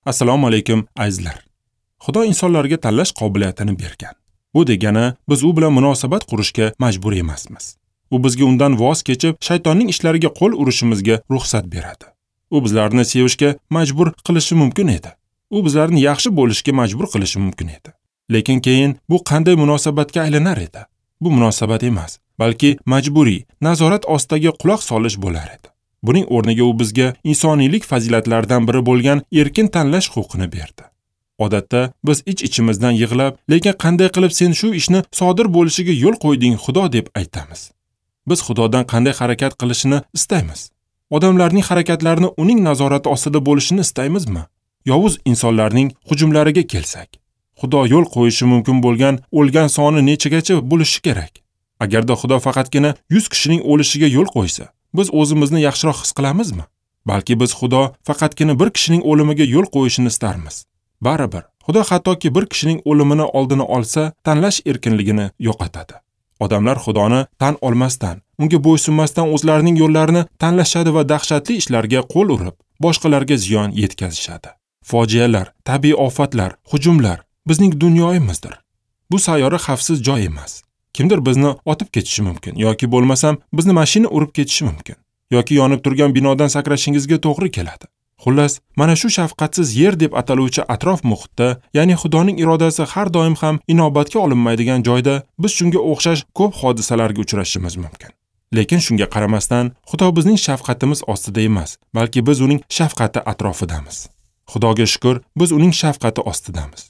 Assalomu alaykum azizlar. Xudo insonlarga tanlash qobiliyatini bergan. Bu degani biz u bilan munosabat qurishga majbur emasmiz. U bizga undan voz kechib, shaytonning ishlariga qo'l urishimizga ruxsat beradi. U bizlarni sevishga majbur qilishi mumkin edi. U bizlarni yaxshi bo'lishga majbur qilishi mumkin edi. Lekin keyin bu qanday munosabatga aylanar edi? Bu munosabat emas, balki majburiy nazorat ostidagi quloq solish bo'lar edi. Buning o'rniga u bizga insoniylik fazilatlaridan biri bo'lgan erkin tanlash huquqini berdi. Odatda biz ich-ichimizdan yig'lab, lekin qanday qilib sen shu ishni sodir bo'lishiga yo'l qo'yding Xudo deb aytamiz. Biz Xudodan qanday harakat qilishini istaymiz. Odamlarning harakatlarini uning nazorati ostida bo'lishini istaymizmi? Yovuz insonlarning hujumlariga kelsak, Xudo yo'l qo'yishi mumkin bo'lgan o'lgan soni nechagacha bo'lishi kerak? Agarda Xudo faqatgina 100 kishining o'lishiga yo'l qo'ysa, biz o'zimizni yaxshiroq his qilamizmi? Balki biz Xudo faqatgina bir kishining o'limiga yo'l qo'yishini istarmiz. Baribir, Xudo hattoki bir kishining o'limini oldini olsa, tanlash erkinligini yo'qotadi. Odamlar Xudoni tan olmasdan, unga bo'ysunmasdan o'zlarining yo'llarini tanlashadi va dahshatli ishlarga qo'l urib, boshqalarga ziyon yetkazishadi. Fojialar, tabiiy ofatlar, hujumlar bizning dunyoyimizdir. Bu sayyora xavfsiz joy emas. Kimdir bizni otib ketishi mumkin yoki bo'lmasam bizni mashina urib ketishi mumkin yoki yonib turgan binodan sakrashingizga to'g'ri keladi. Xullas, mana shu shafqatsiz yer deb ataluvchi atrof muhitda, ya'ni Xudoning irodasi har doim ham inobatga olinmaydigan joyda biz shunga o'xshash ko'p hodisalarga uchrashimiz mumkin. Lekin shunga qaramasdan, Xudo bizning shafqatimiz ostida emas, balki biz uning shafqati atrofidamiz. Xudoga shukr, biz uning shafqati ostidamiz.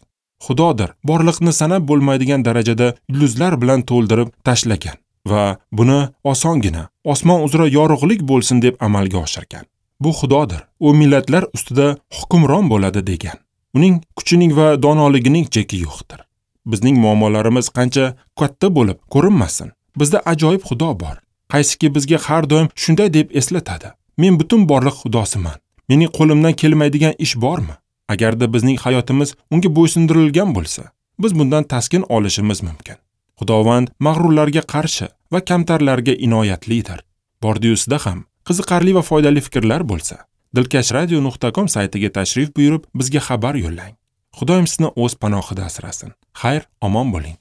Xudodir borliqni sanab bo'lmaydigan darajada yulduzlar bilan to'ldirib tashlagan va buni osongina osmon uzra yorug'lik bo'lsin deb amalga oshirgan. Bu Xudodir. U millatlar ustida hukmron bo'ladi degan. Uning kuchining va donoligining cheki yo'qdir. Bizning muammolarimiz qancha katta bo'lib ko'rinmasin, bizda ajoyib Xudo bor. Qaysiki bizga har doim shunday deb eslatadi: Men butun borliq Xudosiman. Mening qo'limdan kelmaydigan ish bormi? Agarda bizning hayotimiz unga bo'ysundirilgan bo'lsa, biz bundan taskin olishimiz mumkin. Xudovand mag'rurlarga qarshi va kamtarlarga inoyatlidir. Bordiusida ham qiziqarli va foydali fikrlar bo'lsa, dilkashradio.com saytiga tashrif buyurib, bizga xabar yo'llang. Xudoyim sizni o'z panohida asrasin. Xayr, omon bo'ling.